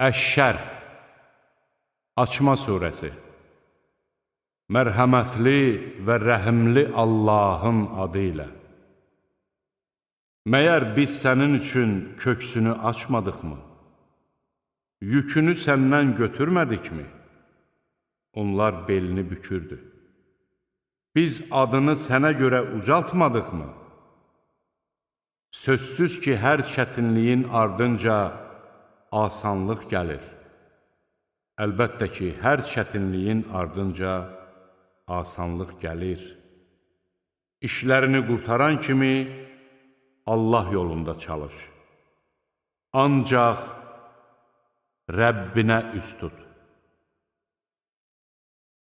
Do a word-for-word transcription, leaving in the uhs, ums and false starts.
Əş-Şərh Açma surəsi. Mərhəmətli və rəhimli Allahın adı ilə. Məyər biz sənin üçün köksünü açmadıqmı? Yükünü səndən götürmədikmi? Onlar belini bükürdü. Biz adını sənə görə ucaltmadıqmı? Sözsüz ki, hər çətinliyin ardınca asanlıq gəlir. Əlbəttə ki, hər çətinliyin ardınca asanlıq gəlir. İşlərini qurtaran kimi Allah yolunda çalış. Ancaq Rəbbinə üst tut.